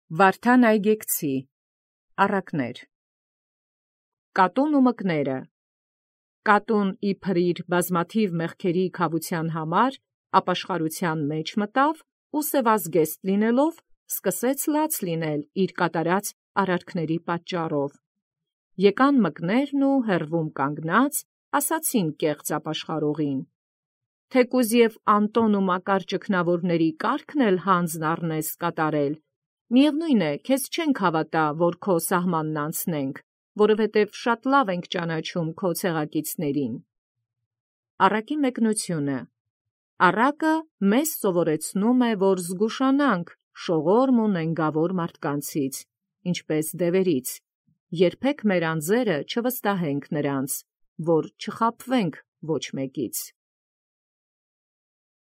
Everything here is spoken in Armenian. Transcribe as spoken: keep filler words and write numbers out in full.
Վարդան Այգեկցի առակներ։ Կատուն ու մկները։ Կատուն իբր իր բազմաթիվ մեղքերի քավության համար ապաշխարության մեջ մտավ ու սևազգեստ լինելով սկսեց լաց լինել իր կատարած արարքների պատճառով։ Եկան մկներն ու հեռվում կանգնած ասացին կեղծ ապաշխարողին. թեկուզ և Անտոն ու Մակար ճգնավորների կարգն էլ հանձն առնես կատարել, միևնույն է, քեզ չենք հավատա, որ քո սահմանն անցնենք, որովհետև շատ լավ ենք ճանաչում քո ցեղակիցներին։ Առակի մեկնությունը։ Առակը մեզ սովորեցնում է, որ զգուշանանք շողորմ ու նենգավոր մարդկանցից, ինչպես դևերից, երբեք մեր անձերը չվստահենք նրանց, որ չխաբվենք ոչ մեկից։